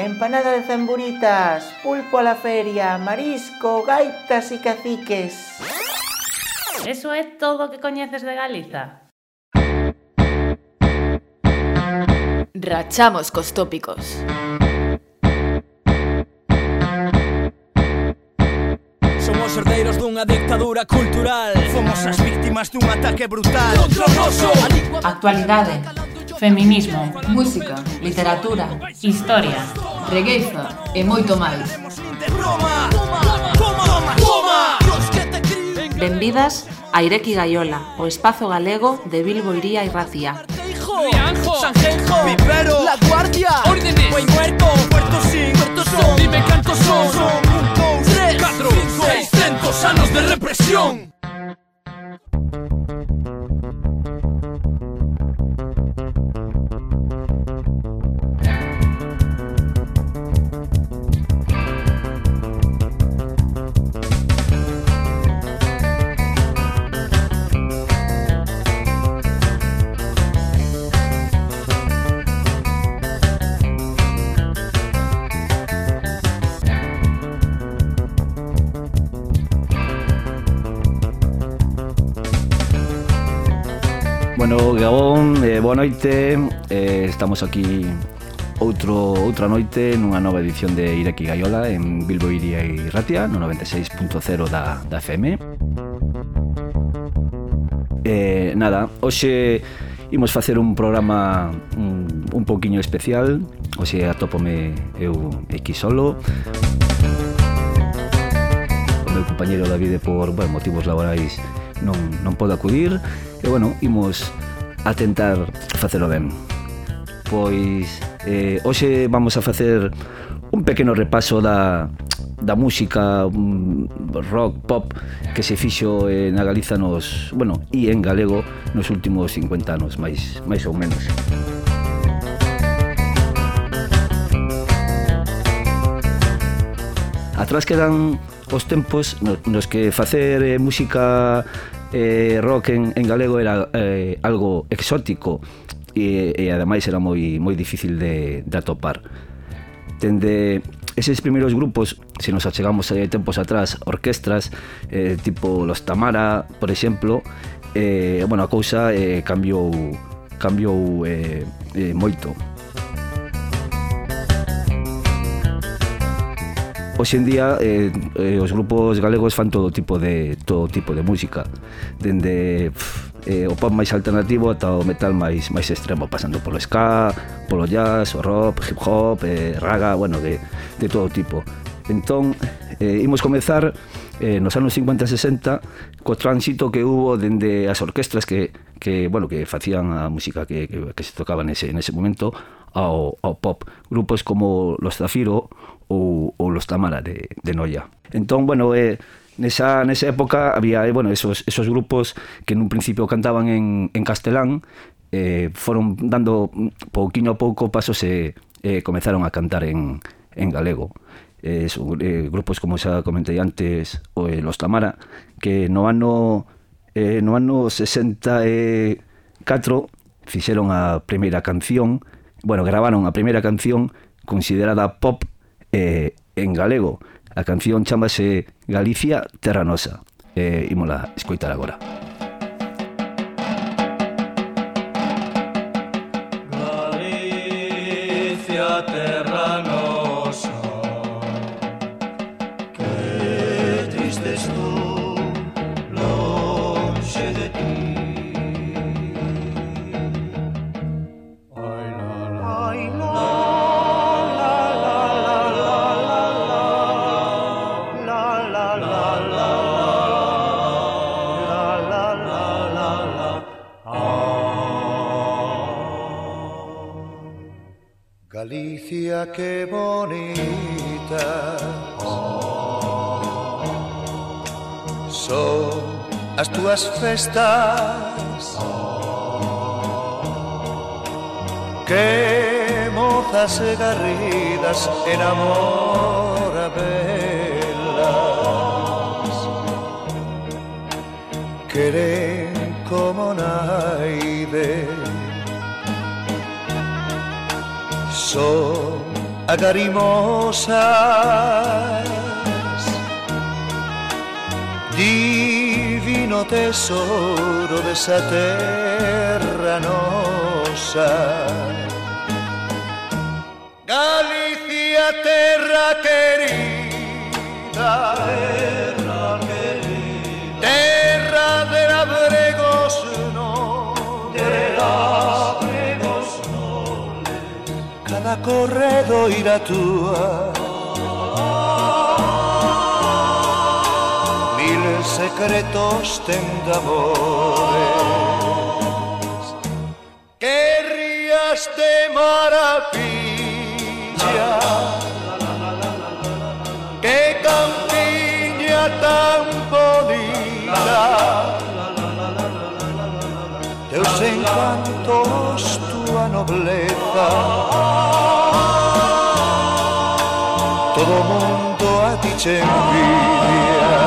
Empanada de zamburitas, pulpo a la feria, marisco, gaitas y caciques. Eso é todo o que coñeces de Galiza? Rachamos cos tópicos. Somos herdeiros dunha dictadura cultural. Fomos as víctimas dun ataque brutal Contra o noso. Actualidade, feminismo, Música, literatura, historia. regueiza e moito máis. Roma. Toma. Benvidas a Ireki Gaiola, o espazo galego de Bilbo, Iría e Racía. Rianjo. Sanjenjo. Vivero. La Guardia. Órdenes. Buen Muerto. Puerto Sin. Puerto Son. Dime cantos son. Son 1, 2, 3, 4, 5, 600 anos de represión. Bueno, Gabón, boa noite. Estamos aquí outra noite nunha nova edición de Ireki Gaiola en Bilbo, Iria e Ratia no 96.0 da FM. Nada, hoxe imos facer un programa un pouquiño especial. Hoxe atópome eu aquí solo. O meu compañeiro David por motivos laborais non pode acudir. E bueno, imos a tentar facelo ben. Pois hoxe vamos a facer un pequeno repaso da música rock, pop que se fixo na Galiza e en galego nos últimos 50 anos, máis ou menos. Atrás quedan os tempos nos que facer música rock en galego era algo exótico e ademais era moi difícil de atopar. Dende eses primeiros grupos, se nos achegamos aí tempos atrás, orquestras tipo Los Tamara, por exemplo, a cousa cambiou moito. Hoxe en día os grupos galegos fan todo tipo de música, dende o pop máis alternativo ata o metal máis extremo, pasando polo ska, polo jazz, o rock, hip hop, raga, de todo tipo. Entón, imos comezar nos anos 50 e 60 co tránsito que hubo dende as orquestras que facían a música que se tocaba nese momento ao pop, grupos como Los Zafiro ou Los Tamara de Noia. Entón, nesa época había esos grupos que nun principio cantaban en castelán, foron dando pouquiño a pouco pasos e comezaron a cantar en galego. Grupos como xa comentei antes, Los Tamara, que no ano 64 fixeron a primeira canción, gravaron a primeira canción considerada pop en galego. A canción chámase Galicia, Terra Nosa. Ímola escoitar agora. Galicia, terra nosa, que triste estou lonxe de ti. Galicia, que bonita son as túas festas, que mozas e garridas en amor a velas queren como naide. Son agarimosas, divino tesoro desa terra nosa. Galicia, terra querida, terra de labregos noles, cada corredoira túa, mil secretos ten de amores, que rías de maravilla, que campiña tan bonita, teus encantos, tua nobleza, todo mundo a ti che envidia.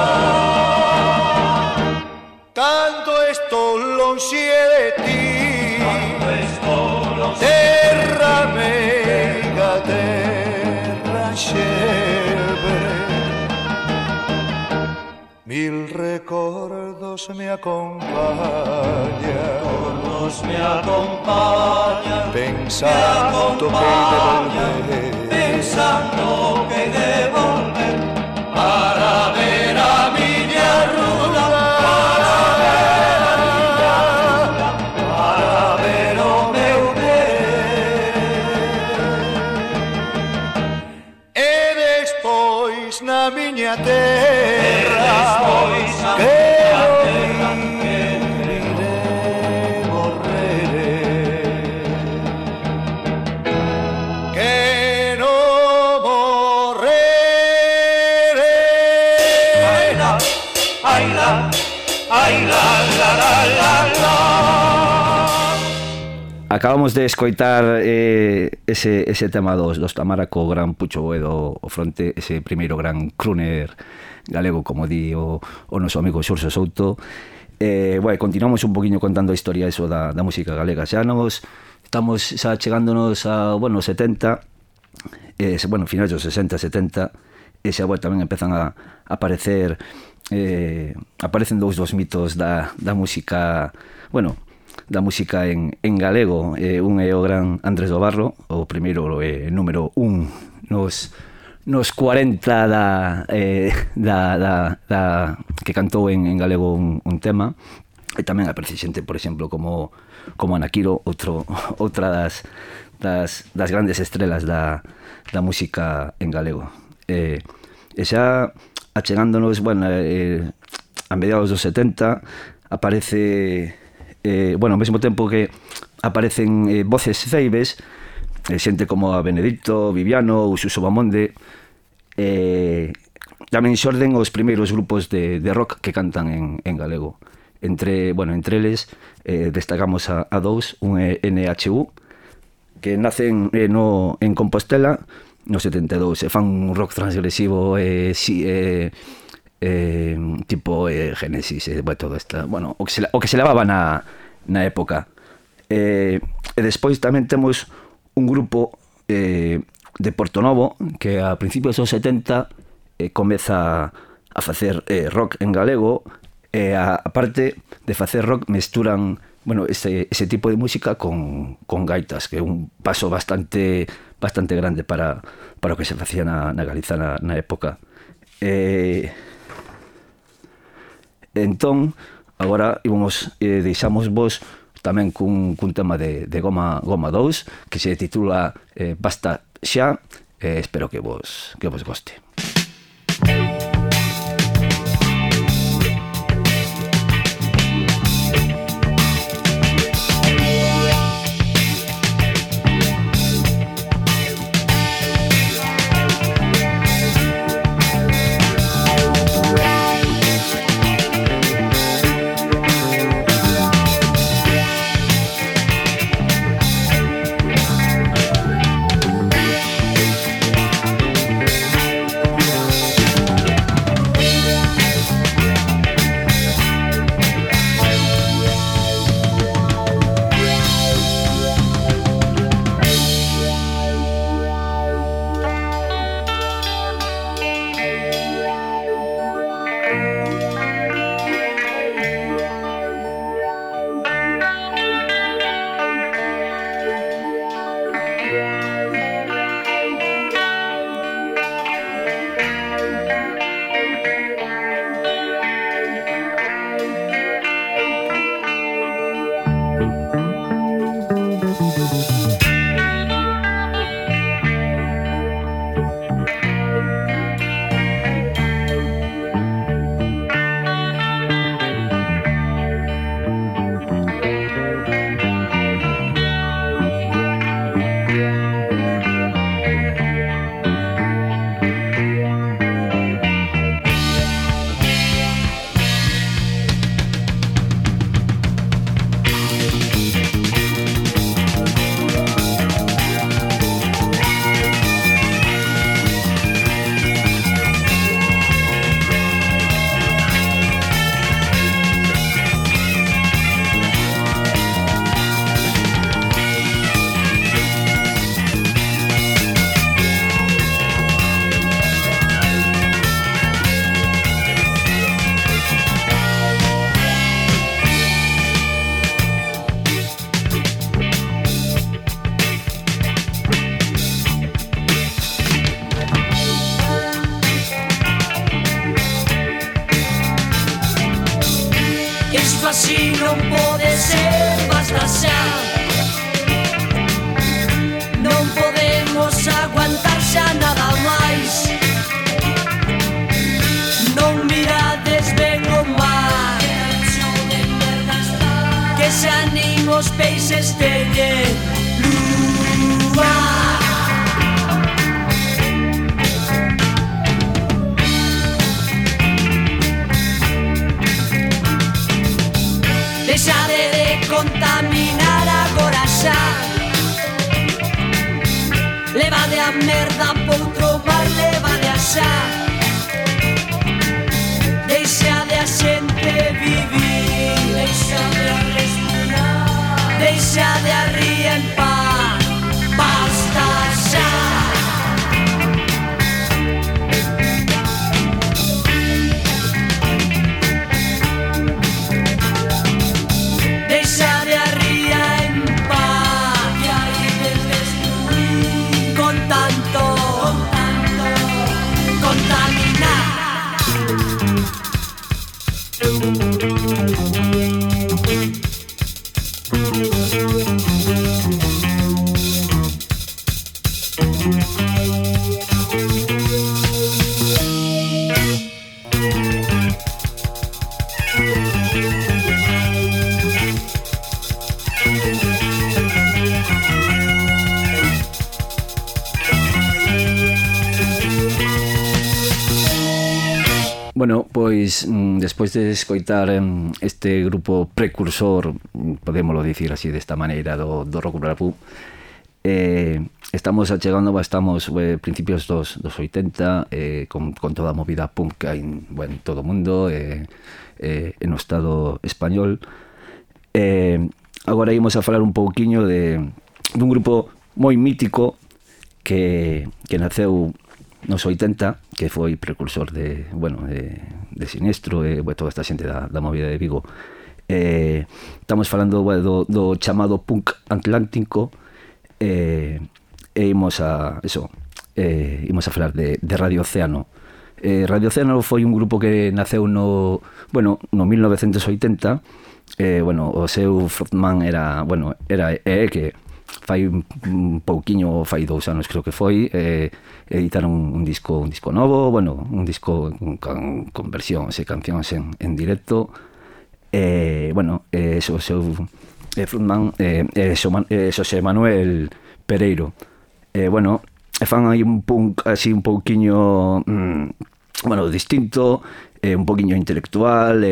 Cando estou lonxe de ti, terra meiga, terra xebre, mil recordos me acompañan, pensando que he de volver, para ver a miña rula, para ver o meu ben, e despois na miña terra, Acabamos de escoitar ese tema dos Tamara co gran Pucho Boedo o fronte, ese primeiro gran crooner galego, como di o noso amigo Xurxo Souto. Bueno, continuamos un poquinho contando a historia eso da música galega. Estamos xa chegándonos a, bueno, 70, bueno, finais dos 60, 70, e xa, bueno, tamén empezan a aparecer, aparecen dos mitos da música, bueno, da música en galego. Un é o gran Andrés do Barro, o primeiro número 1 nos 40 que cantou en galego un tema. E tamén aparece xente, por exemplo, como Anaquiro, outra das grandes estrelas da música en galego. E xa achegándonos, bueno, a mediados dos 70 aparece, bueno, ao mesmo tempo que aparecen voces ceibes, xente como a Benedicto, Viviano, ou Suso Bamonde, tamén xorden os primeiros grupos de rock que cantan en galego. Entre eles destacamos a dous, un é NHU, que nacen en Compostela no 72, e fan un rock transgresivo, tipo Génesis, todo esta, bueno, o que se levaba na época. E despois tamén temos un grupo de Portonovo que a principios dos 70 comeza a facer rock en galego, e aparte de facer rock mesturan, bueno, ese tipo de música con gaitas, que é un paso bastante grande para o que se facía na Galiza na época. Entón, agora deixamos vos tamén cun tema de Goma 2 que se titula Basta xa. Espero que vos goste. os peixes teñen lúa. Deixade de contaminar agora xa. Levade a merda poutro mar, levade a xa. Deixade a xente vivir, deixade a respirar, deixade a ría en paz, basta xa. Deixade a ría en paz, que hai de destruir con tanto contaminar. Bueno, pois despois de escoitar este grupo precursor, podémoslo dicir así desta maneira, do rock rap, estamos achegando, estamos principios dos 80, con toda a movida punk que hai en todo o mundo, no Estado español. Agora ímos a falar un pouquiño dun grupo moi mítico que naceu nos 80, que foi precursor de Sinestro e toda esta xente da movida de Vigo. Estamos falando do chamado punk atlántico, e imos a falar de Radio Océano. Radio Océano foi un grupo que naceu no 1980. O seu frontman era que fai un pouquiño, fai 2 anos creo que foi, editaron un disco novo, un disco con versións e cancións en directo. O seu frontman Xosé Manuel Pereiro. Fan aí un punk así un pouquiño distinto, un pouquiño intelectual,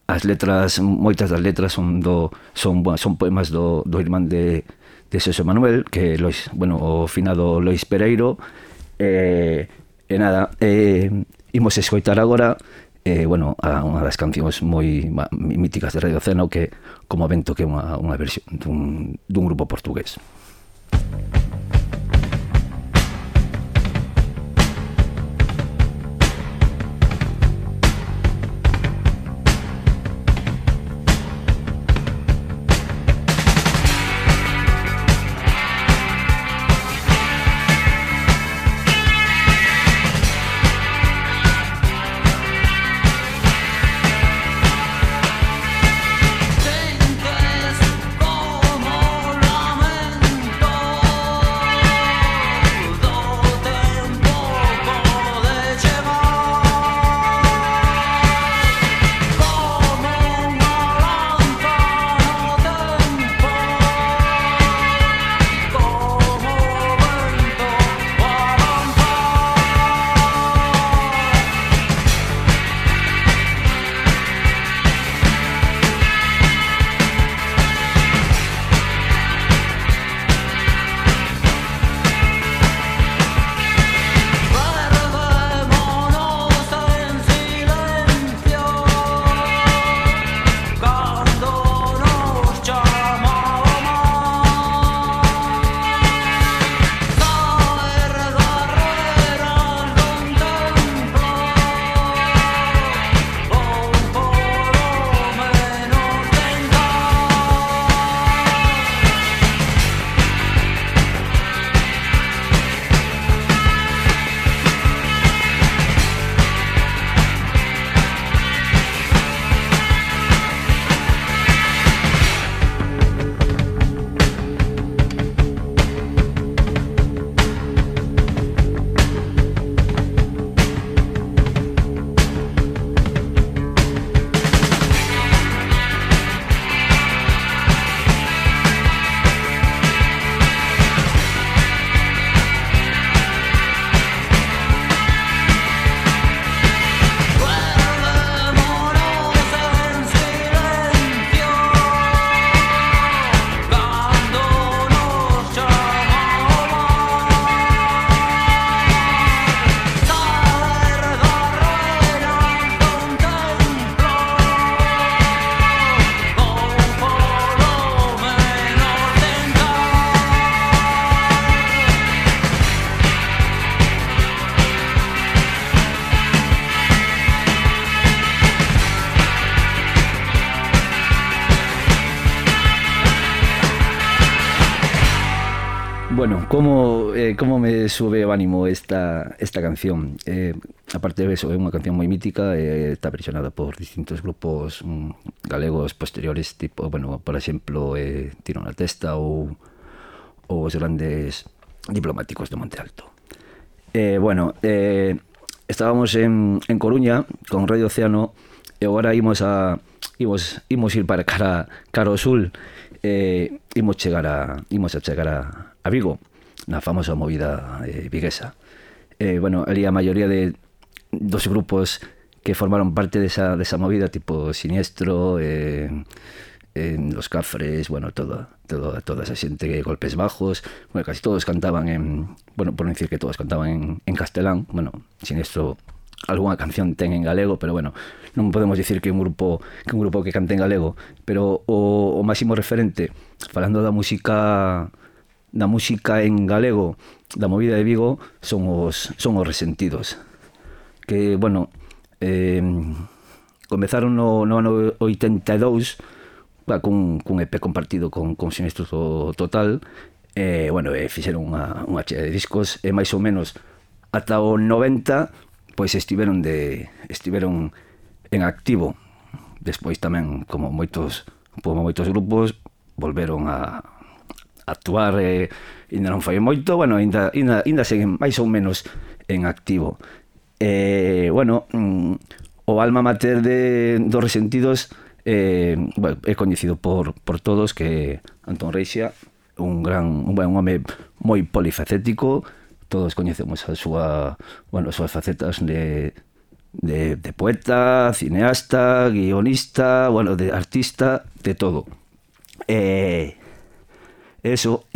as letras, moitas das letras son poemas do irmán de Xosé Manuel, que o finado Lois Pereiro. Imos escoitar agora unha das cancións moi míticas de Radio Océano, que Como Vento, que é unha versión dun grupo portugués. Como lamento Bueno, ¿cómo me sube o ánimo esta canción? Aparte de eso, é unha canción moi mítica, está versionada por distintos grupos galegos posteriores, tipo, bueno, por exemplo, Tiro na Testa ou os grandes diplomáticos de Monte Alto. Bueno, estábamos en Coruña con Radio Océano e agora imos ir para cara ao sul. Imos a chegar a Vigo, na famosa movida viguesa. Bueno, ali a maioría dos grupos que formaron parte desa movida, tipo Siniestro, Los Cafres, bueno, toda esa xente, Golpes Bajos, bueno, casi todos cantaban bueno, por non dicir que todos cantaban en castelán. Bueno, Siniestro algunha canción ten en galego, pero bueno, non podemos dicir que un grupo que cante en galego, pero o máximo referente, falando da música en galego, da movida de Vigo, son os Resentidos, que, bueno, comezaron no ano 82 cun EP compartido con Sinistro Total, bueno, fixeron unha chea de discos, e máis ou menos ata o 90 pois estiveron en activo. Despois tamén, como moitos grupos, volveron a actuar, ainda non foi moito, bueno, ainda seguen máis ou menos en activo. Bueno, o alma mater dos Resentidos bueno, é coñecido por todos, que Antón Reixa, un home moi polifacético. Todos coñecemos as súas facetas de poeta, cineasta, guionista, bueno, de artista, de todo. Eso,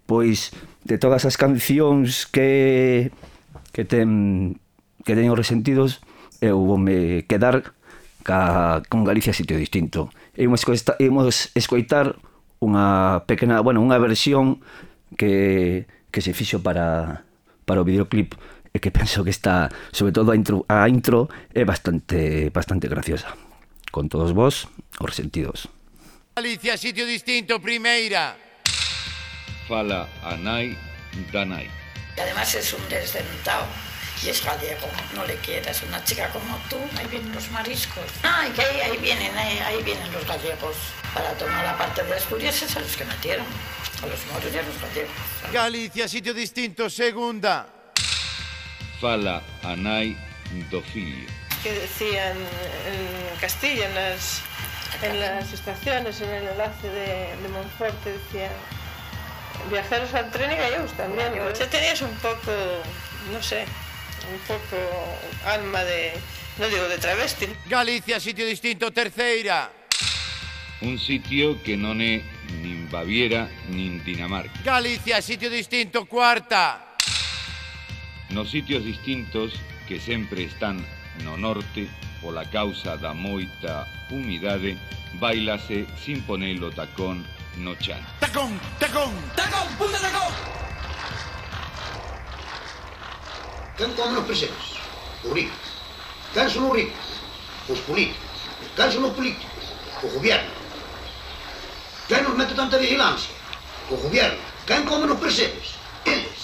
pois, de todas as cancións que ten os Resentidos, eu voume quedar con Galicia Sitio Distinto. Imos escoitar unha pequena, bueno, unha versión que se fixo para o videoclip, e que penso que está, sobre todo a intro é bastante graciosa. Con todos vos, os Resentidos. Galicia Sitio Distinto, primeira. Fala a nai da nai. Y además es un desdentado y es gallego, no le quieras, una chica como tú, ahí vienen los mariscos. Y que ahí vienen los gallegos, para tomar la parte de Asturias, es a los que metieron. A los moros y a los gallegos. Galicia Sitio Distinto, segunda. Fala a nai do fillo. Que decían en Castilla, en las estaciones, en el enlace de Monforte, decían viajeros al tren y gallegos también. Usted tenías un poco, no sé, un poco alma de, no digo de travesti. Galicia Sitio Distinto, terceira. Un sitio que non é nin Baviera nin Dinamarca. Galicia Sitio Distinto, cuarta. Nos sitios distintos que sempre están no norte, pola causa da moita humidade, bailase sin ponelo tacón no chan. Tacón, tacón, tacón, punta tacón. Quen come nos presentes? Os ricos. Quen son os ricos? Os políticos. Quen son os políticos? O gobierno. Quen nos mete tanta vigilancia? O gobierno. Quen come nos presentes? Eles.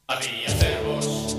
Había cervos,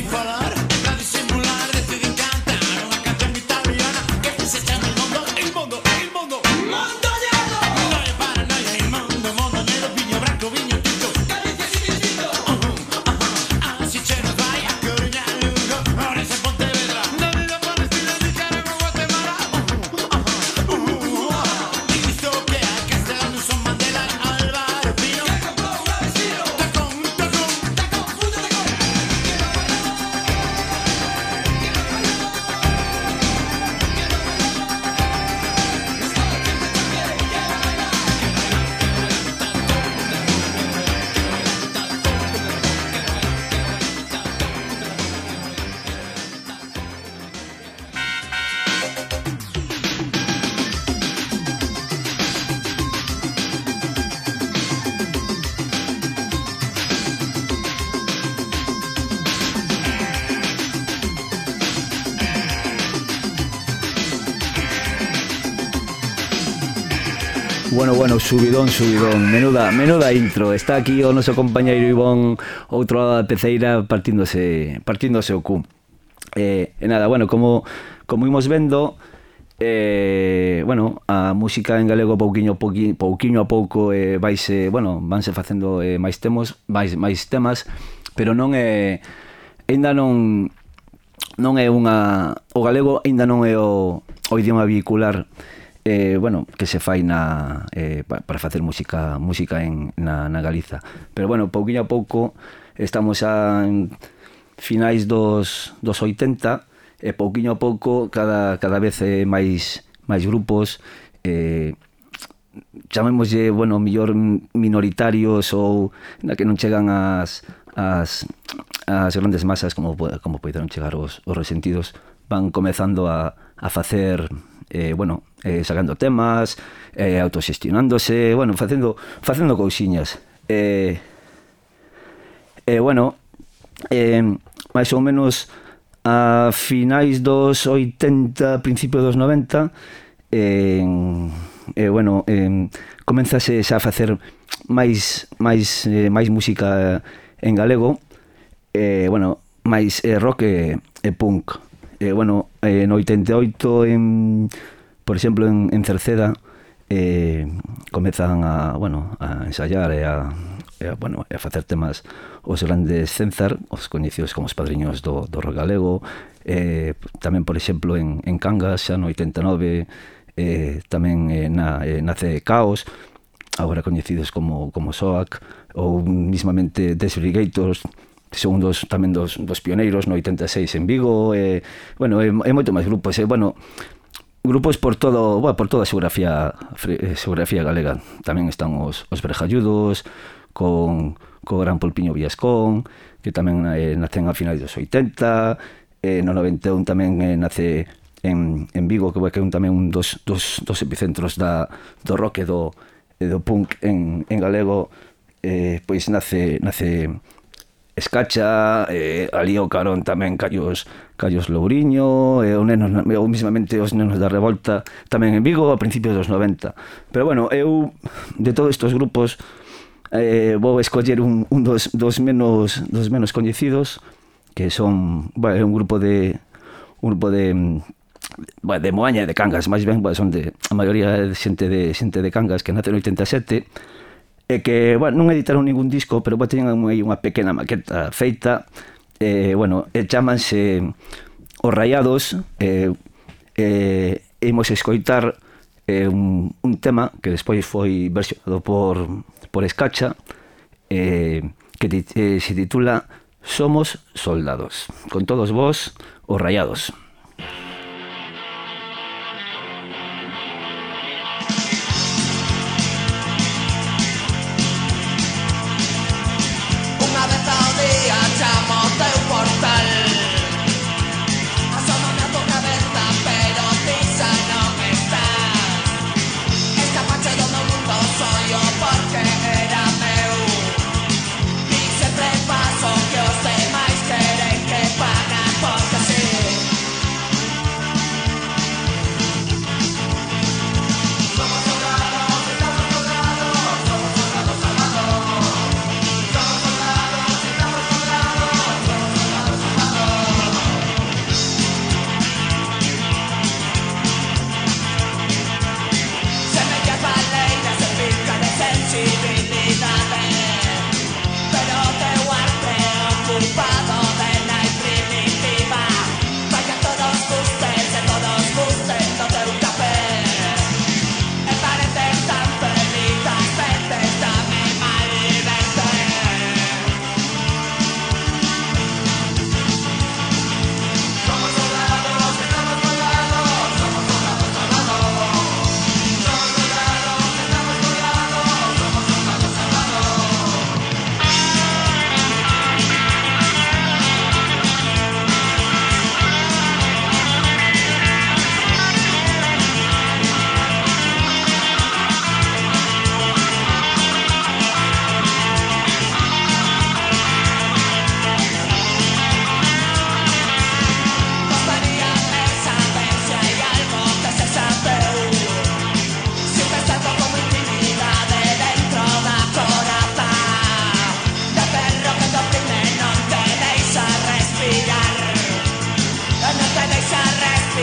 falar, a disimular, deciden cantar unha canción italiana que se chama el mondo, el mondo, el mondo, mondo lleno. No hay paranoia, el mondo, mondo negro, viño branco, viño tinto, Galicia sí distinto. Así che nos vai a Coruña, Lugo, Ourense, Pontevedra, na vida Palestina, Nicaragua, Guatemala. Isto que a Castelán, Son Mandela, Álvaro Pino, que comprou un vecino, tacón, tacón, tacón, punta tacón. Bueno, subidón, menuda intro. Está aquí o noso compañeiro Ivón, outro lado da peceira, partíndose o cu. E nada, bueno, como imos vendo, a música en galego pouquiño a pouco vanse facendo máis temas, pero non é aínda non é unha, o galego aínda non é o idioma vehicular que se fai para facer música na Galiza. Pero pouquiño a pouco estamos en finais dos 80 e pouquiño a pouco cada vez máis grupos, chamémoslle, mellor minoritarios ou na que non chegan as grandes masas como poderon chegar os Resentidos, van comezando a facer sacando temas, autoxestionándose, facendo cousiñas. Mais ou menos a finais dos 80, principios dos 90, comenzase xa a facer máis música en galego, máis rock e punk. No 88, por exemplo, en Cerceda, comezan a ensayar e a facer temas os grandes Cenzar, os coñecidos como os padriños do rock galego. Tamén, por exemplo, en Cangas, xa no 89, tamén nace Caos, agora coñecidos como SOAC, ou mismamente Desbrigators, son tamén dos pioneiros no 86 en Vigo. É moito máis grupos, grupos por toda a xeografía galega. Tamén están os Brejalludos, co gran Polpiño Villascón, que tamén nacen a finais dos 80, no 91 tamén nace en Vigo, que é tamén un dos epicentros do rock e do punk en galego. Pois nace Escacha, ali o carón tamén Callos Louriño, ou mismamente os Nenos da Revolta tamén en Vigo a principios dos 90. Pero eu de todos estes grupos vou escoller un dos menos coñecidos, que son un grupo de Moaña e de Cangas, máis ben, son a maioría de xente de Cangas que nace no 87, e que non editaron ningún disco, pero teñen unha pequena maqueta feita, chamanse Os Rayados, imos escoitar un tema que despois foi versionado por Escacha, que se titula Somos Soldados. Con todos vos, Os Rayados. Sempre paso que os demais queren que pagan porque sí.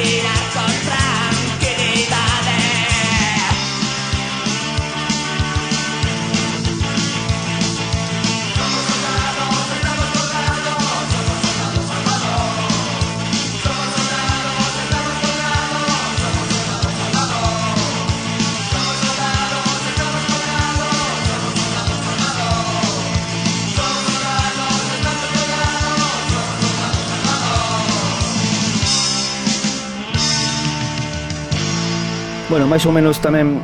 caminar con tranquilidade. Somos soldados, estamos colgados, somos soldados salvados. Somos soldados, estamos colgados, somos soldados salvados. Somos soldados, estamos colgados, somos soldados salvados. Somos soldados, estamos colgados, somos soldados salvados. Bueno, máis ou menos tamén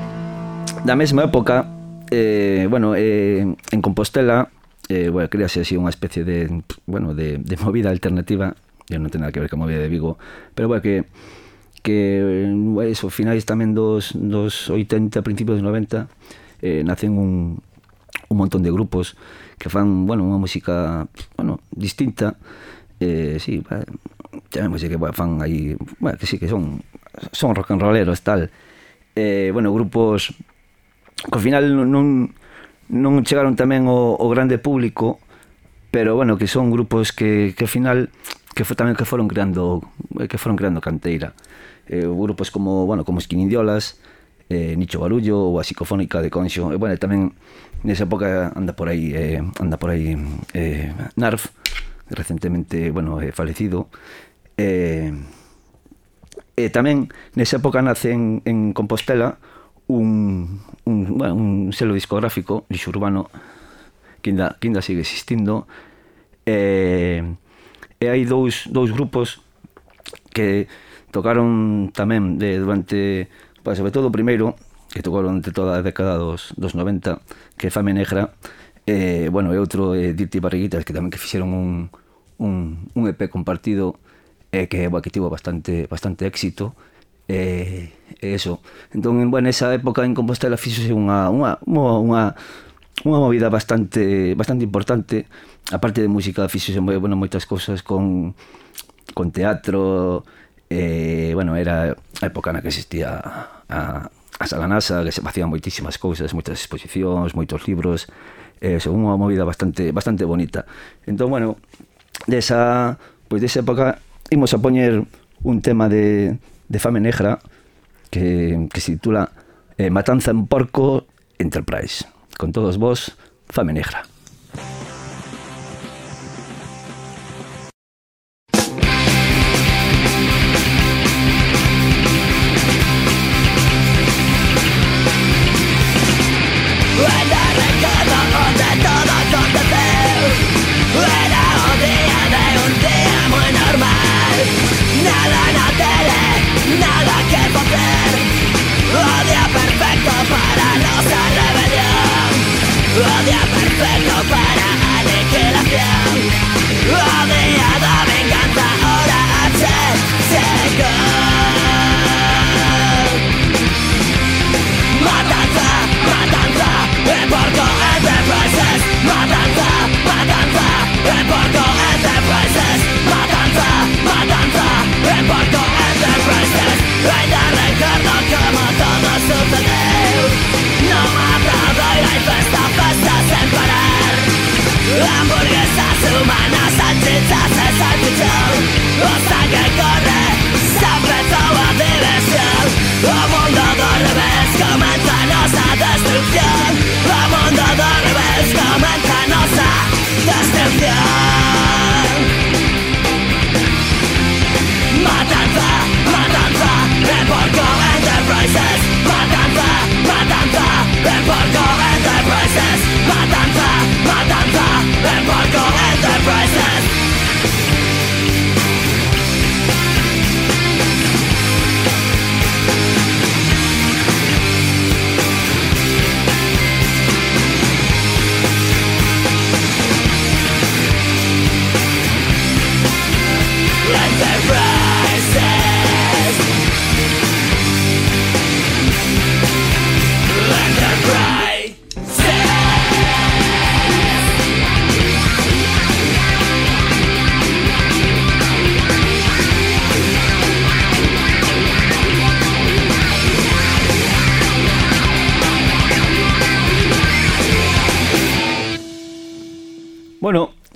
da mesma época, en Compostela, crease así unha especie de movida alternativa. Eu non ten nada que ver con a movida de Vigo, pero que eso, finais tamén dos 80, principios dos 90, nacen un montón de grupos que fan, unha música, distinta, chamemos que fan aí, que sí, que son rock and rolleros, tal. Grupos que ao final non chegaron tamén ao grande público, pero que son grupos que ao final que foron creando canteira. Grupos como Esquinindiolas, Nicho Barullo ou a Psicofónica de Conxo. Tamén nesa época anda por aí Narf, recentemente falecido. Tamén nesa época nace en Compostela un selo discográfico lixo urbano que ainda sigue existindo, e hai dous grupos que tocaron tamén durante, sobre todo o primeiro, que tocaron durante toda a década dos 90, que é Fame Negra, e outro Dirty Barriguitas, que tamén que fixeron un EP compartido, que tivo bastante éxito, eso. Entón, esa época en Compostela fixose unha movida bastante importante. A parte de música fixose moitas cousas con teatro. Era a época na que existía a Sala NASA, que se facían moitísimas cousas, moitas exposicións, moitos libros. Unha movida bastante bonita. Entón, desa época imos a poñer un tema de Fame Negra que se titula Matanza en Porco Enterprise. Con todos vos, Fame Negra. Odia perfecto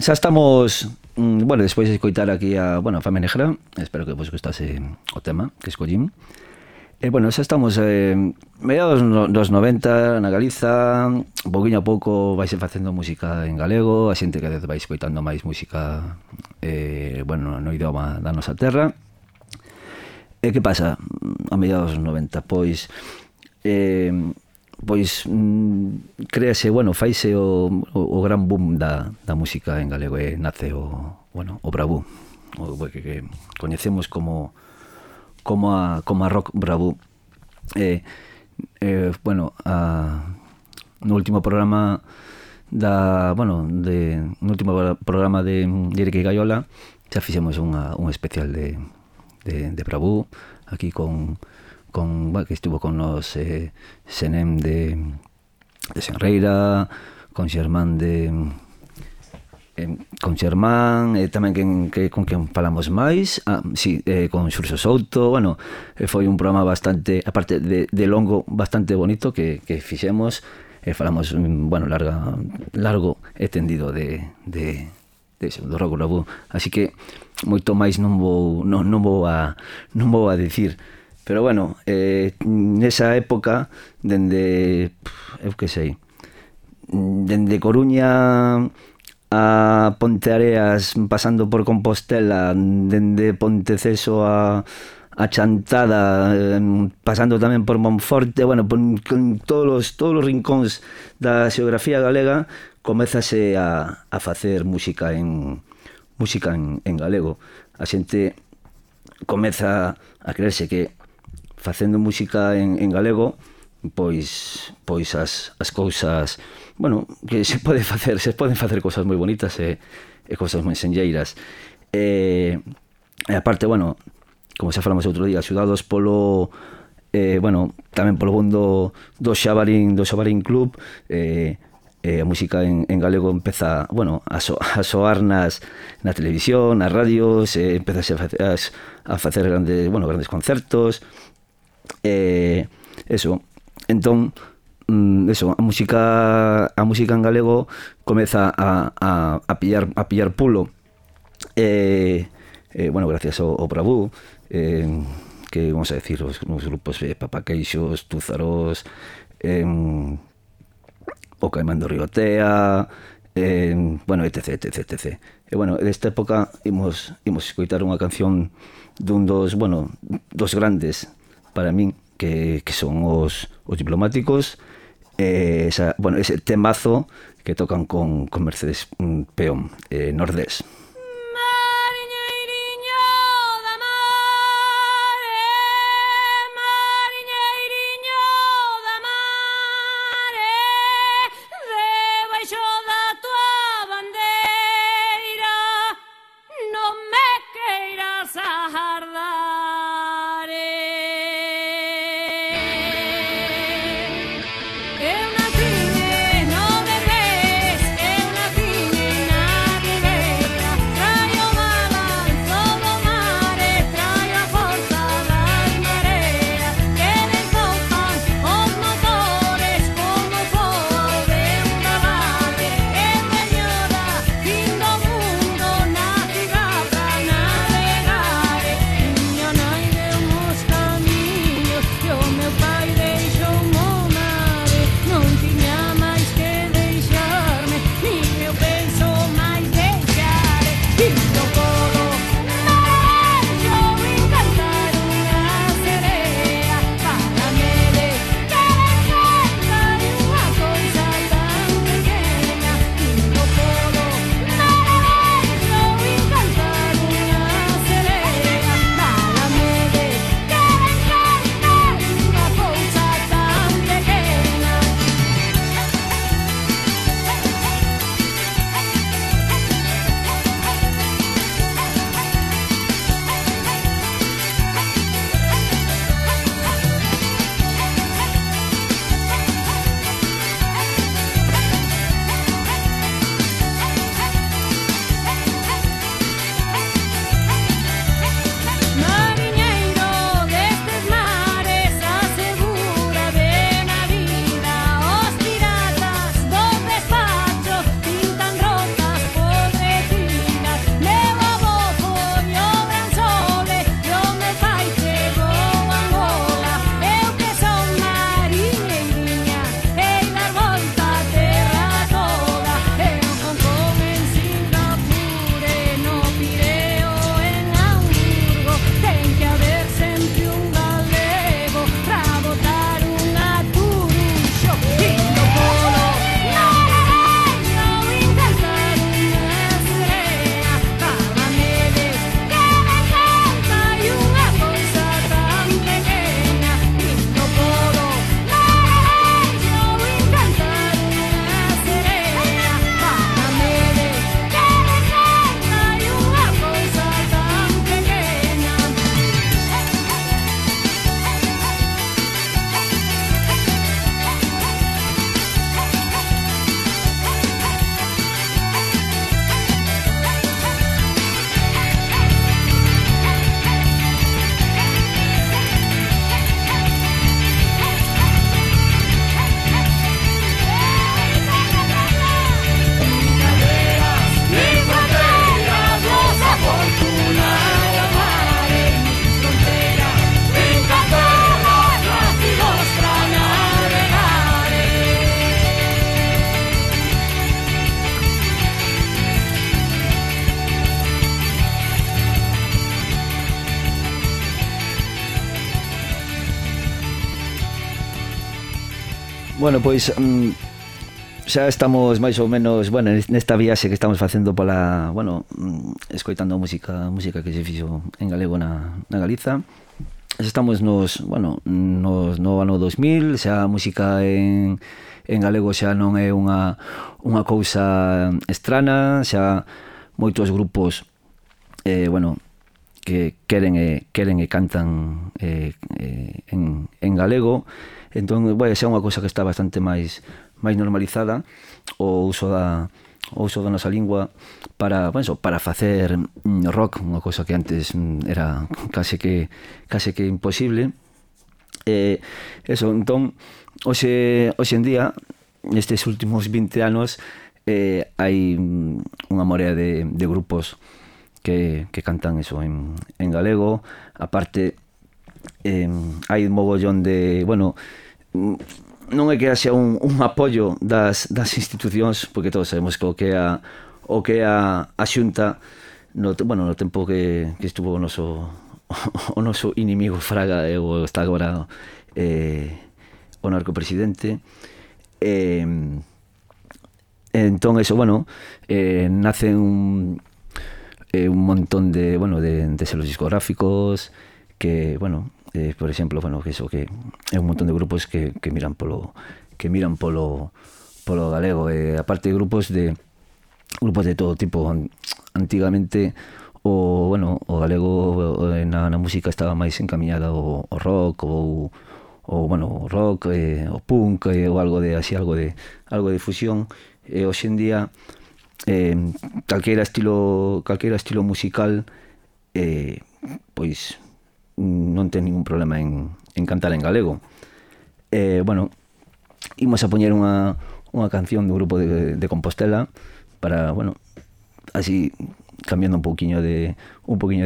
xa estamos, bueno, despois de escoitar aquí a Fame Negra, espero que vos gustase o tema que escollín. Bueno, xa estamos mediados dos 90 na Galiza, un poquinho a pouco vaise facendo música en galego, a xente que vai escoitando máis música no idioma da nosa terra. E que pasa a mediados dos 90? Pois créase, faise o gran boom da música en galego e nace o Bravú, o que coñecemos como a rock Bravú. No último programa no último programa de Eric e Gaiola xa fixemos un especial de Bravú aquí con que estuvo con nos Senem de Senreira, con Xermán e tamén con quen falamos máis, con Xurxo Souto. Foi un programa bastante, aparte de longo, bastante bonito que fixemos, falamos largo e tendido do rock Bravú, así que moito máis non vou a dicir. Pero nesa época, dende Coruña a Ponteareas, pasando por Compostela, dende Ponteceso a Chantada, pasando tamén por Monforte, con todos os rincóns da xeografía galega, comezase a facer música en galego. A xente comeza a creerse que facendo música en galego, pois as cousas, que se poden facer cousas moi bonitas e cousas moi senlleiras. E aparte, como xa falamos outro día, axudados polo tamén polo mundo do Xabarín Club, a música en galego empeza a soar na televisión, nas radios, empeza a facer grandes concertos. Entón, a música en galego comeza a pillar pulo, gracias ao Bravú, que vamos a decir os grupos Papaqueixos, Túzaros, o Caimán do Riotea, etc. E desta época imos escoitar unha canción dun dos grandes para min, que son os Diplomáticos, ese temazo que tocan con Mercedes Peón, Nordés. Bueno, pois xa estamos máis ou menos, bueno, nesta viaxe que estamos facendo pola, bueno, escoitando música que se fixo en galego na Galiza. Estamos no ano 2000, xa a música en galego xa non é unha cousa estrana, xa moitos grupos que queren e cantan en galego. Entón, xa é unha cousa que está bastante máis normalizada o uso da nosa lingua para facer rock, unha cousa que antes era case que imposible. Entón, hoxe en día, nestes últimos 20 anos, hai unha morea de grupos que cantan eso en galego. Aparte, hai un mogollón de, non é que haxa un apoio das institucións, porque todos sabemos que o que é a Xunta no tempo que estuvo o noso inimigo Fraga, ou está agora o narcopresidente. Entón, eso, nace un montón de selos discográficos que, por exemplo, que é un montón de grupos que miran polo galego, aparte de grupos de todo tipo. Antigamente o galego na música estaba máis encamiñada ao rock ou rock, o punk, ou algo de fusión. Hoxe en día calqueira estilo musical pois non ten ningún problema en cantar en galego. Imos a poñer unha canción do grupo de Compostela para, así cambiando un poquinho de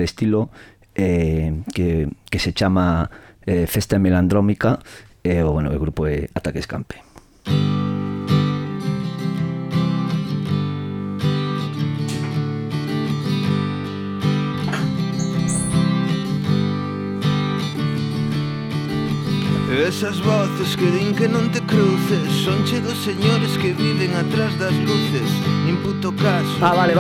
estilo, que se chama Festa Melandrómica, e o grupo é Ataque Escampe. Esas voces que din que non te cruces son che dos señores que viven atrás das luces. Nin puto caso. Vale.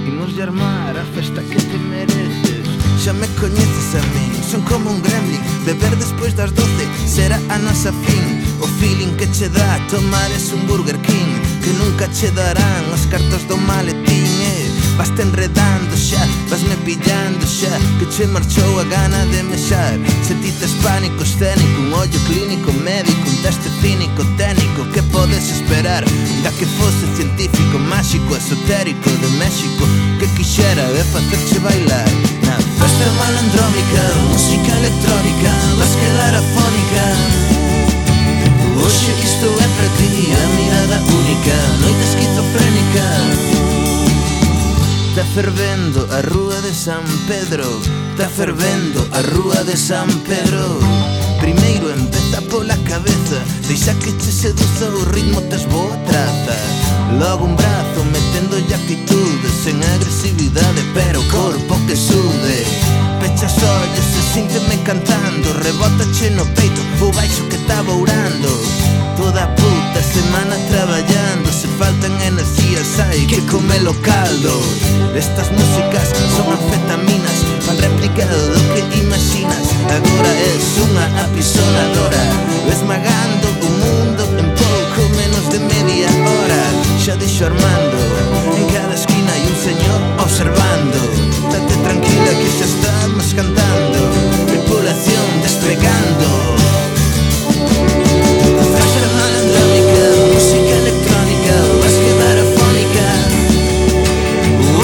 Imos de armar a festa que te mereces. Xa me coñeces a min, son como un gremlin. Beber despois das 12 será a nosa fin. O feeling que che dá tomar es un Burger King, que nunca che darán os cartos do maletín. Vaste enredando xa, vasme pillando xa, que che marchou a gana de mexar. Se ti tes pánico escénico, un ollo clínico médico, un teste cínico técnico, que podes esperar da que fose científico, máxico, esotérico de México, que quixera de facerche bailar na festa malandrómica, música electrónica, vas quedar afónica. Oxe isto é para ti, a mirada única, noite esquizofrénica. Está fervendo a rúa de San Pedro, está fervendo a rúa de San Pedro. Primeiro empeza pola cabeza, deixa que che seduza o ritmo, tes boa traza. Logo un brazo meténdolle actitude, sen agresividade, pero o corpo que sude. Pechas ollos e sínteme cantando, rebótache no peito o baixo que está bourando. Toda a puta semana traballando, se faltan enerxías hai que comelo caldo. Estas músicas son anfetaminas, fan replicado do que imaginas. Agora es unha apisonadora, esmagando o mundo en pouco menos de media hora. Xa dixo Armando, en cada esquina hai un señor observando. Date tranquila que xa estamos cantando, tripulación desplegando. Música electrónica, vas quedar afónica.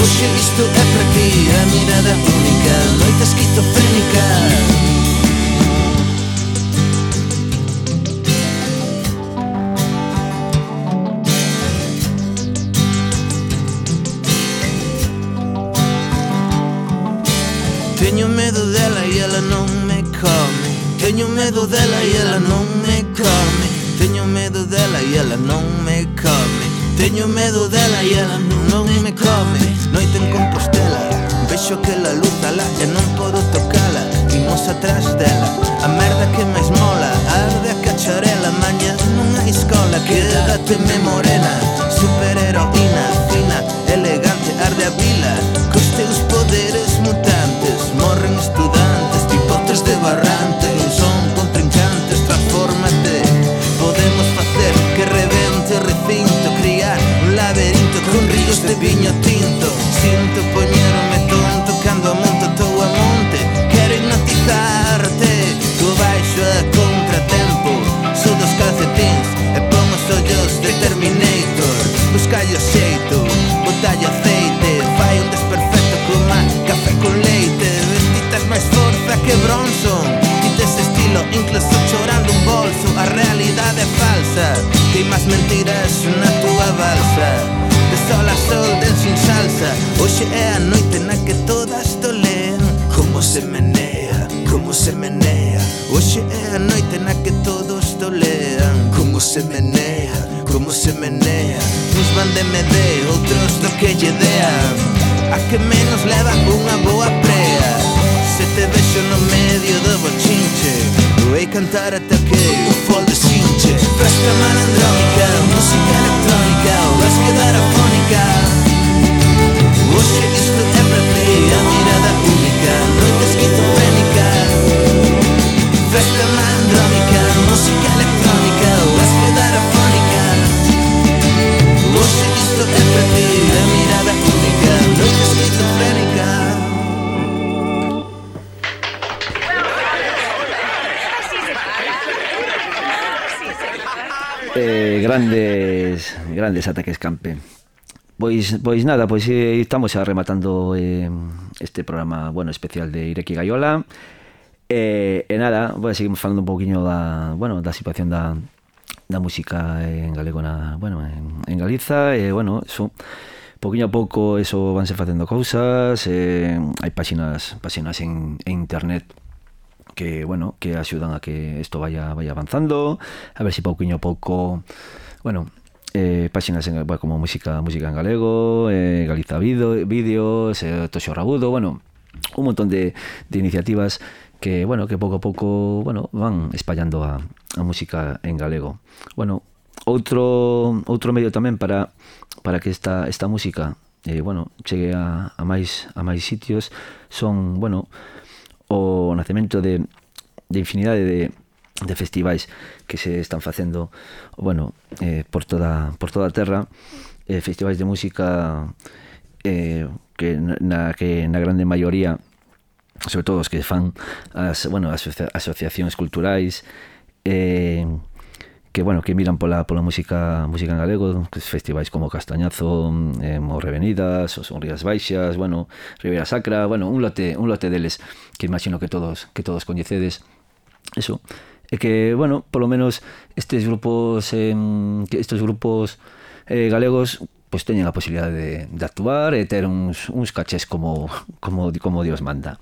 Oxe, isto é para ti, a mirada única, noite esquizofrénica. Teño medo dela e ela non me come. Teño medo dela e ela non me come. Teño medo dela e ela non me come. Teño medo dela e ela non me come. Noite en Compostela, vexo aquela luz alá e non podo tocala. Imos atrás dela, a merda que máis mola, arde a cacharela. Quédateme morena, superheroína, fina, elegante, arde a vila. Cos teus poderes mutantes morren estudantes, tipotes de barrante, non son contrincantes, transfórmate. Podemos facer que rebente o recinto, criar un laberinto con ríos de viño tinto. Sinto poñerme tonto cando a monto tou a monte. Quero hipnotizarte, co baixo a contratempo, sudo os calcetins e pon os ollos de Terminator. Buscalle o xeito, botalle aceite, fai un desperfecto coma café con leite. Vestitas máis forza que Bronson, quites estilo incluso chorando un bolso. A realidade é falsa, queimas mentiras na túa balsa. De sol a sol, del sin salsa. Hoxe é a noite na que todas tolean como se menea, como se menea. Hoxe é a noite na que todos tolean como se menea, como se menea. Uns van de MD, outros do que lle dean. A que menos leva unha boa prea. Se te vexo no medio do bochinche, voy cantar ata que o fol deshinche. Festa malandrónica, música electrónica, vas quedar afónica. Hoxe isto é para ti, a mirada única, noite esquizofrénica. Festa malandrónica, música electrónica, vas quedar afónica. Hoxe isto é para ti, a mirada única, noite esquizofrénica. Grandes ataques campe. Pois nada, pois estamos xa rematando este programa, bueno, especial de Ireki Gaiola. Nada, seguimos falando un pouquiño da situación da música en galego en Galiza. Bueno, eso, pouquiño a pouco eso vanse facendo cousas. Hai páxinas en internet que, bueno, que axudan a que isto vaya avanzando. A ver se pouquiño a pouco, bueno, páxinas como música en galego, Galiza Vídeos, Toxo Rabudo, bueno, un montón de iniciativas que, bueno, que pouco a pouco, bueno, van espallando a música en galego. Bueno, outro medio tamén para que esta música, bueno, chegue a máis sitios son, bueno, o nacemento de infinidade de festivais que se están facendo, bueno, por toda a terra, festivais de música que na grande maioría, sobre todo os que fan as asociacións culturais, que, bueno, que miran pola música en galego, festivais como Castañazo, Morrevenidas, ou son Rías Baixas, bueno, Ribeira Sacra, bueno, un lote deles que imagino que todos coñecedes. Eso, é que, bueno, polo menos estes grupos galegos pois teñen a posibilidade de actuar e ter uns cachés como Dios manda.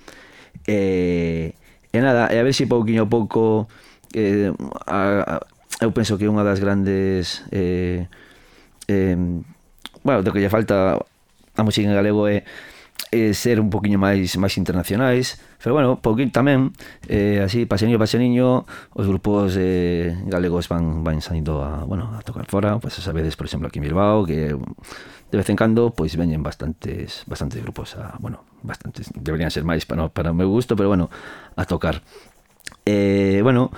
E nada, a ver se pouquiño a pouco eu penso que unha das grandes bueno, do que lle falta a música en galego é ser un poquinho máis internacionais, pero bueno, pouquinho tamén, así, paseniño, os grupos galegos van saindo a tocar fora. Pues sabedes, por exemplo, aquí en Bilbao, que de vez en cando pois veñen bastantes grupos bastantes, deberían ser máis para o meu gusto, pero bueno, a tocar. Bueno,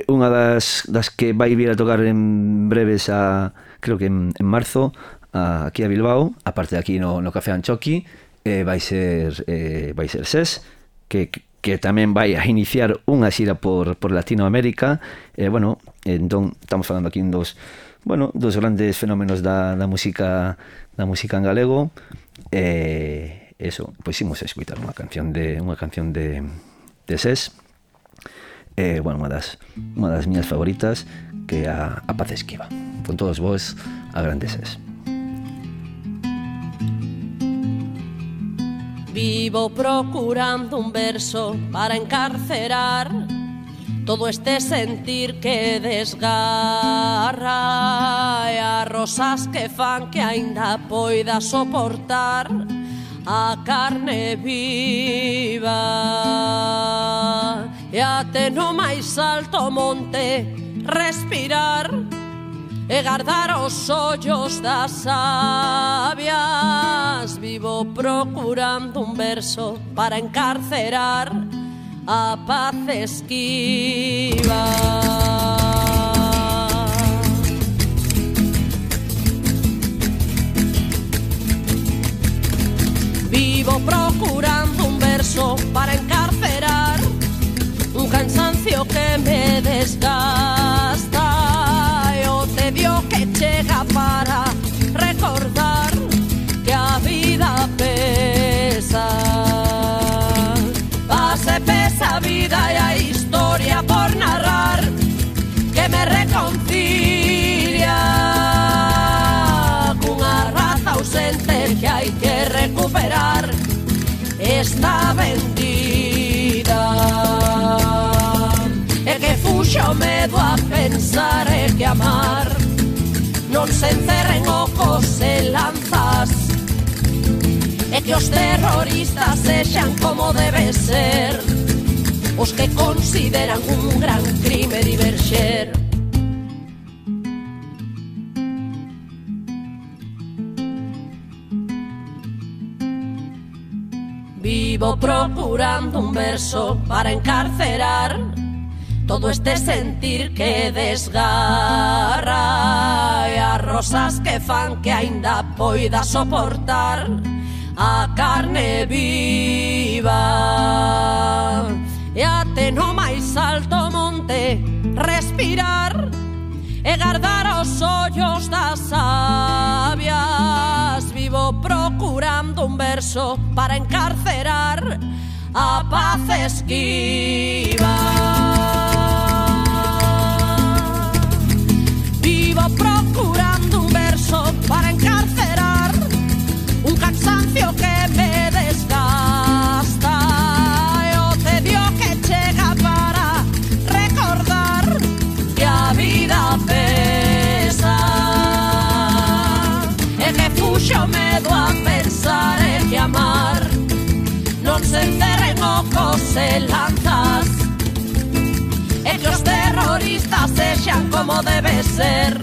unha das que vai vir a tocar en breves, creo que en marzo, aquí a Bilbao, aparte de aquí no Café Anchoqui, vai ser SES, que tamén vai a iniciar unha xira por Latinoamérica. Bueno, entón estamos falando aquí dos grandes fenómenos da música en galego. Eso, pois imos a escutar unha canción de SES. Bueno, unha das miñas favoritas, que é a Paz Esquiva. Con todos vos, a grande SES. Vivo procurando un verso para encarcerar todo este sentir que desgarra, e as rosas que fan que aínda poida soportar a carne viva, e até no máis alto monte respirar e guardar os ollos das sabias. Vivo procurando un verso para encarcerar a paz esquiva. Vivo procurando un verso para encarcerar un cansancio que me desgasta e o tedio que chega para recordar que a vida pesa. Pase pesa a vida e a historia por narrar que me reconcilia cunha raza ausente que hai que recuperar. Está vendida e que fuxo o medo a pensar e que amar non se encerren ocos e lanzas e que os terroristas sexan como debe ser os que consideran un gran crime diverxer. Vivo procurando un verso para encarcerar todo este sentir que desgarra e as rosas que fan que aínda poida soportar a carne viva e até no máis alto monte respirar e guardar os ollos das sabias. Vivo procurando un verso para encarcerar a paz esquiva. Vivo procurando un verso para encarcerar un cansancio que me desgasta e o tedio que chega para recordar que a vida pesa e que fuxo o medo a pensar e que amar non se encerren ocos e lanzas e que os terroristas sexan como debe ser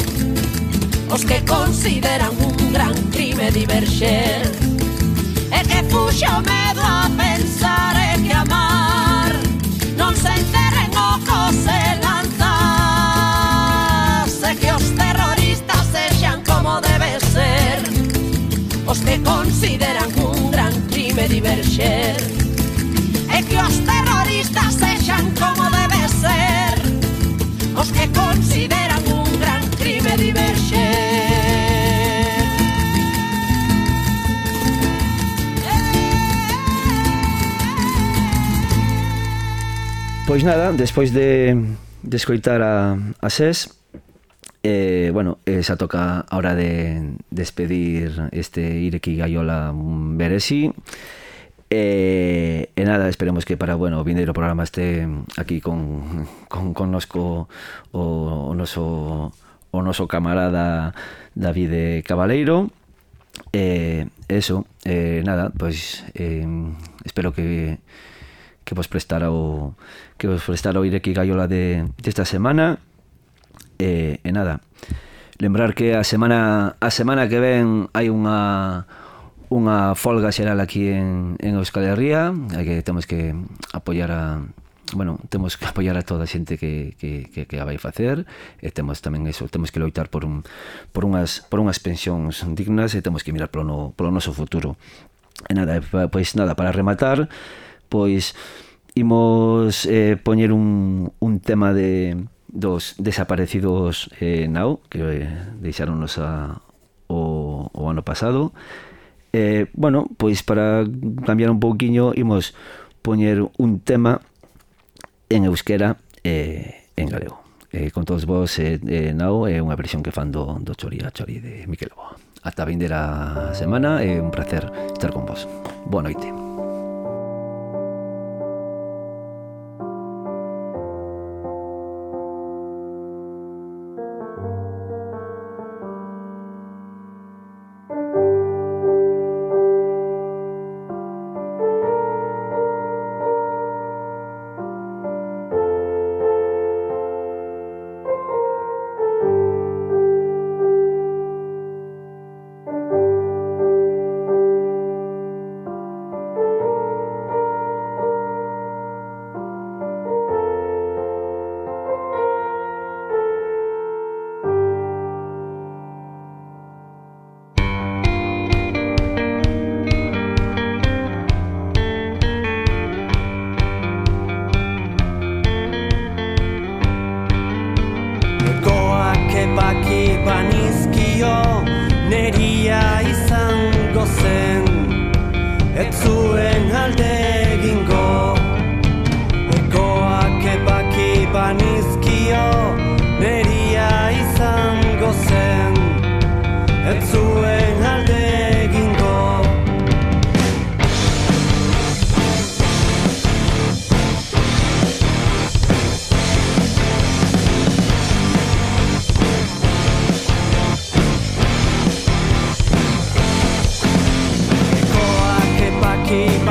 os que consideran un gran crime diverxer e que fuxo o medo a pensar e que amar non se encerren ocos e lanzas e que os terroristas sexan como debe ser os que consideran un gran crime diverxer e que os terroristas sexan como debe ser os que consideran un gran crime diverxer. Pois nada, despois de escoitar a SES, bueno, xa toca a hora de despedir este Ireki Gaiola Beresi. E nada, esperemos que para, bueno, o vindeiro programa este aquí connosco o noso camarada David Cabaleiro. Eso, nada, pois espero que vos prestara o Ireki Gaiola desta semana. E nada, lembrar que a semana que ven hai unha folga xeral aquí en Euskal Herria, que temos que apoiar a toda a xente que a vai facer, e temos tamén eso, temos que loitar por unhas pensións dignas, e temos que mirar polo noso futuro. E nada, pois nada, para rematar, pois imos poñer un tema dos desaparecidos Now, que deixáronos o ano pasado. Bueno, pois para cambiar un pouquiño imos poñer un tema en euskera e en galego. Con todos vos, Now é unha versión que fan do Chori a Chori de Miquel Lobo. Ata a vindeira semana, é un placer estar con vos. Boa noite.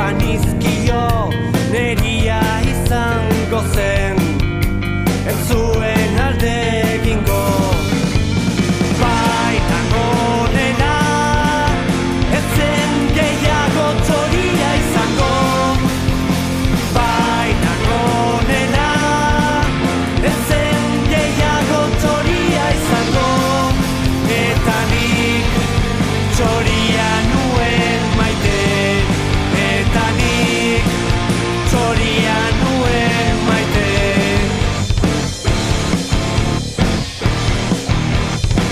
banizkio neria izango zen ez zuen alde egingo baina gonena ez zen gehiago txoria izango baina gonena ez zen gehiago txoria izango eta nik txoria nuen maite eta nik txoria nuen maite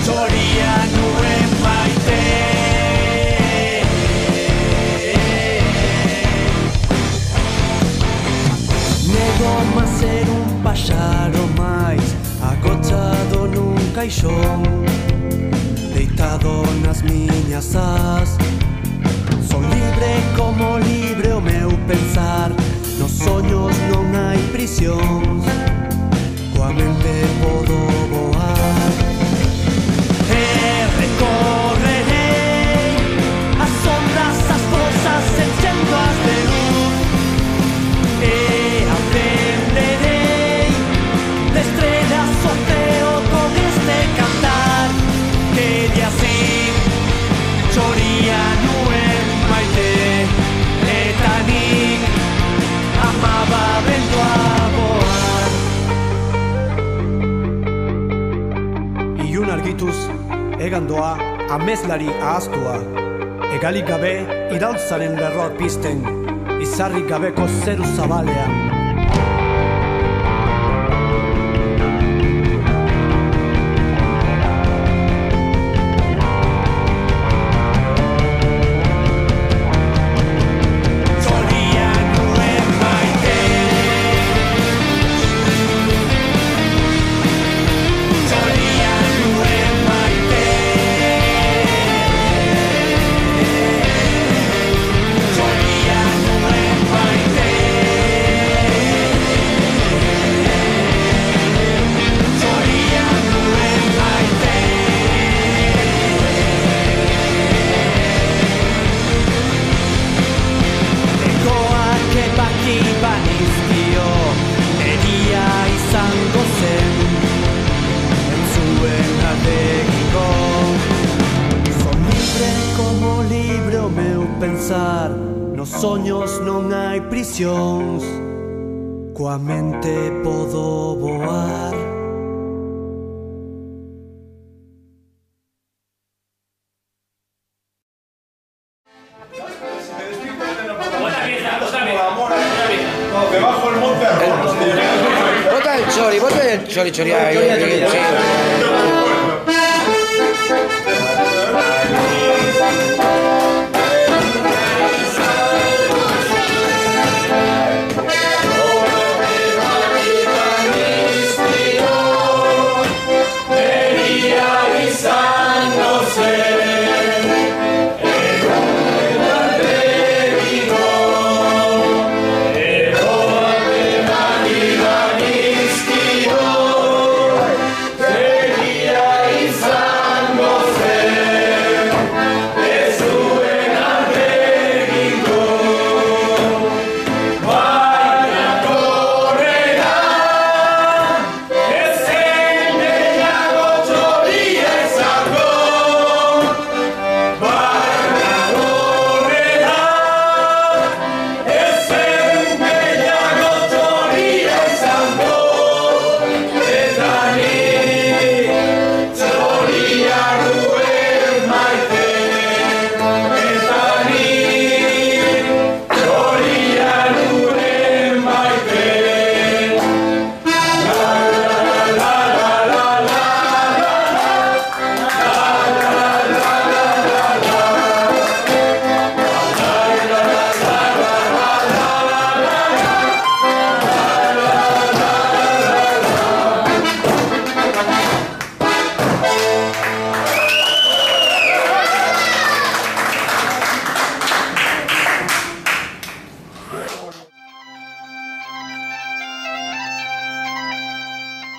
txoria nuen maite nego más ser un pájaro máis agochado nun caixón deitado nas miñas ás son libre como libre o meu pensar nos soños non hai prisións coa mente podo voar e recorrerei as sombras, as fosas enchendo as de luz e aprenderei de estrelas o ceo con este cantar que de así txoria nuen maite eta nik amaba vendo a voar Ilun argituz egandoa amezlari ahaztua egalik gabe iraultzaren lerroak pizten izarrik gabeko zeru zabalean nos soños non hai prisións coa mente podo voar Debajo el monte Bota el chori,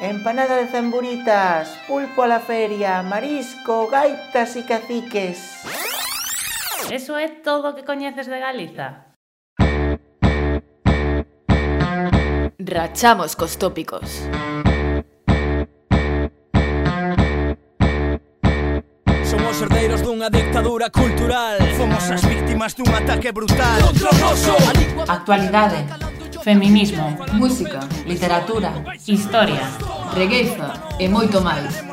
Empanada de zamburitas, pulpo a la feria, marisco, gaitas y caciques. Eso é todo o que coñeces de Galiza? Rachamos cos tópicos. Somos herdeiros dunha dictadura cultural. Fomos as víctimas dun ataque brutal contra o noso. Actualidade, feminismo, Música, literatura, historia, regueifa e moito máis.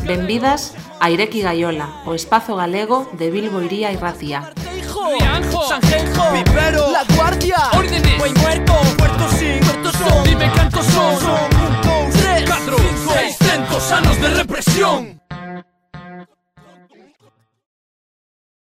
Benvidas a Ireki Gaiola, o espazo galego de Bilbo, Iría e Racía. Sanjenjo, Pipero, La Guardia, Órdenes, Buen Muerto, Puerto Sin, Puerto Son, Dime cantos son 1, 2, 3, 4, 5, 600 anos de represión.